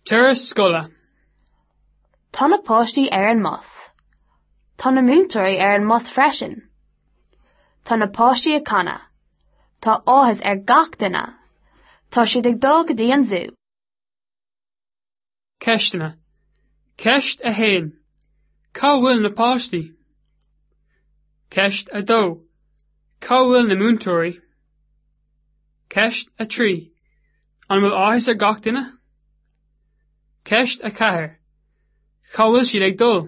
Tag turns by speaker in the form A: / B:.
A: Turas scoile.
B: Tá na páistí ar an mbus. Tá na múinteoirí ar an mbus freisin. Tá na páistí ag canadh. Tá áthas ar gach duine. Tá siad ag dul go dtí an zú.
A: Ceisteanna. Ceist 1. Cá bhfuil na páistí? Ceist 2. Cá bhfuil na múinteoirí? Ceist 3. An bhfuil áthas ar gach duine? Ceist 4. Cá bhfuil siad ag dul?